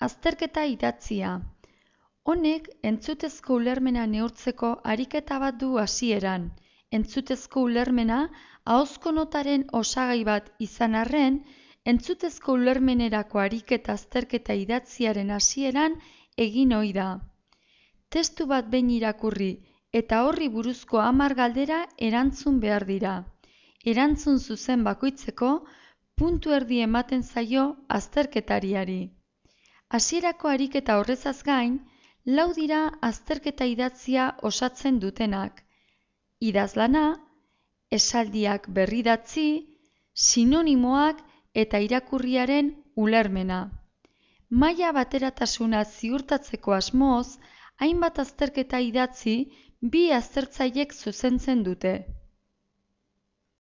azterketa idatzia. Honek entzutezko ulermena neurtzeko ariketa bat du hasieran. Entzutezko ulermena ahozko notaren osagai bat izan arren, entzutezko ulermenerako ariketa azterketa idatziaren hasieran egin ohi da. Testu bat behin irakurri eta horri buruzko 10 galdera erantzun behar dira. Erantzun zuzen bakoitzeko puntu erdi ematen zaio azterketariari. Hasierako ariketa horrezaz gain, 4 dira azterketa idatzia osatzen dutenak. Idazlana, esaldiak berridatzi, sinonimoak eta irakurriaren ulermena. Maila bateratasuna ziurtatzeko asmoz, hainbat azterketa idatzi bi aztertzaileek zuzentzen dute.